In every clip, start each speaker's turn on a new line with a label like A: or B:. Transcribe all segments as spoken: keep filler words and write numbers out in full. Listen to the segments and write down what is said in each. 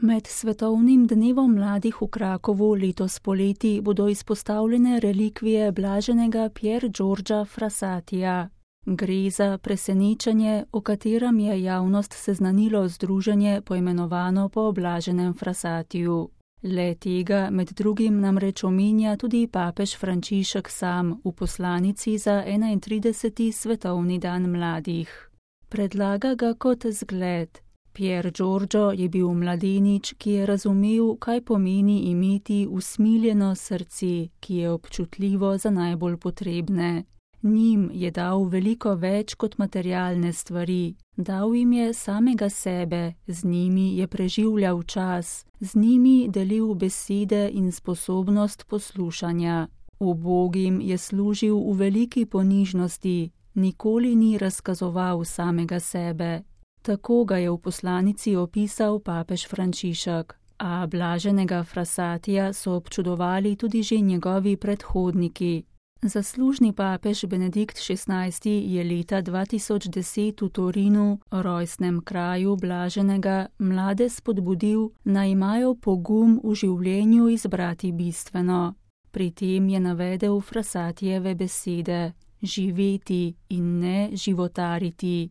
A: Med svetovnim dnevom mladih v Krakovu letos poleti bodo izpostavljene relikvije blaženega Pier Giorgia Frassatija. Gre za presenečenje, o katerem je javnost seznanilo združenje poimenovano po blaženem Frassatiju. Le tega med drugim namreč omenja tudi papež Frančišek sam v poslanici za enaintrideseti svetovni dan mladih. Predlaga ga kot zgled. Pier Giorgio je bil mladenič, ki je razumel, kaj pomeni imeti usmiljeno srce, ki je občutljivo za najbolj potrebne. Njim je dal veliko več kot materialne stvari, dal jim je samega sebe, z njimi je preživljal čas, z njimi delil besede in sposobnost poslušanja. Ubogim je služil v veliki ponižnosti, nikoli ni razkazoval samega sebe. Tako ga je v poslanici opisal papež Frančišek, a blaženega Frassatija so občudovali tudi že njegovi predhodniki. Zaslužni papež Benedikt šestnajsti je leta dva tisoč deset v Torinu, rojstnem kraju blaženega, mlade spodbudil, naj imajo pogum v življenju izbrati bistveno. Pri tem je navedel Frassatijeve besede: živeti in ne životariti.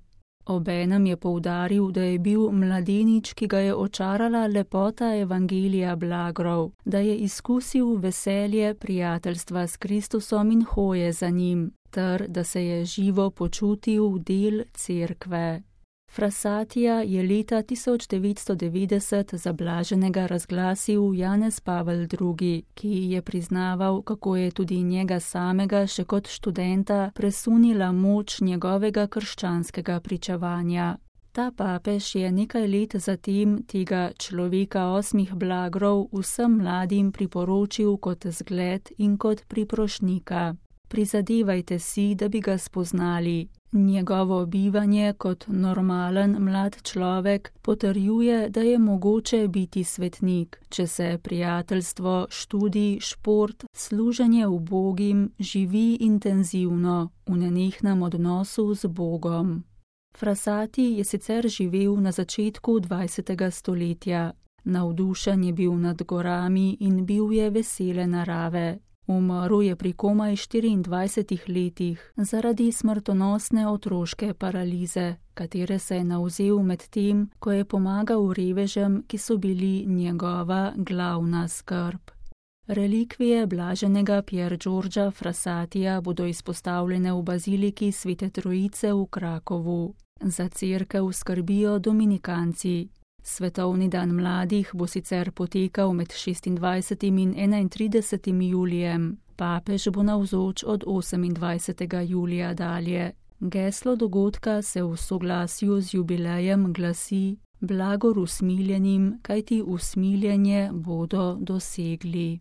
A: Obenem je poudaril, da je bil mladenič, ki ga je očarala lepota evangelija blagrov, da je izkusil veselje prijateljstva s Kristusom in hoje za njim, ter da se je živo počutil del cerkve. Frassatija je leta tisoč devetsto devetdeset za blaženega razglasil Janez Pavel drugi, ki je priznaval, kako je tudi njega samega še kot študenta presunila moč njegovega krščanskega pričevanja. Ta papež je nekaj let zatem tega človeka osmih blagrov vsem mladim priporočil kot zgled in kot priprošnika. Prizadevajte si, da bi ga spoznali. Njegovo bivanje kot normalen mlad človek potrjuje, da je mogoče biti svetnik, če se prijateljstvo, študij, šport, služenje ubogim živi intenzivno, v nenehnem odnosu z Bogom. Frassati je sicer živel na začetku dvajsetega stoletja. Navdušen je bil nad gorami in bil je vesele narave. Umrl je pri komaj štiriindvajsetih letih zaradi smrtonosne otroške paralize, katere se je navzel med tem, ko je pomagal revežem, ki so bili njegova glavna skrb. Relikvije blaženega Pier Giorgia Frassatija bodo izpostavljene v baziliki Svete Trojice v Krakovu. Za cerkev skrbijo dominikanci. Svetovni dan mladih bo sicer potekal med šestindvajsetim in enaintridesetim julijem. Papež bo navzoč od osemindvajsetega julija dalje. Geslo dogodka se v soglasju z jubilejem glasi: blagor usmiljenim, kajti usmiljenje bodo dosegli.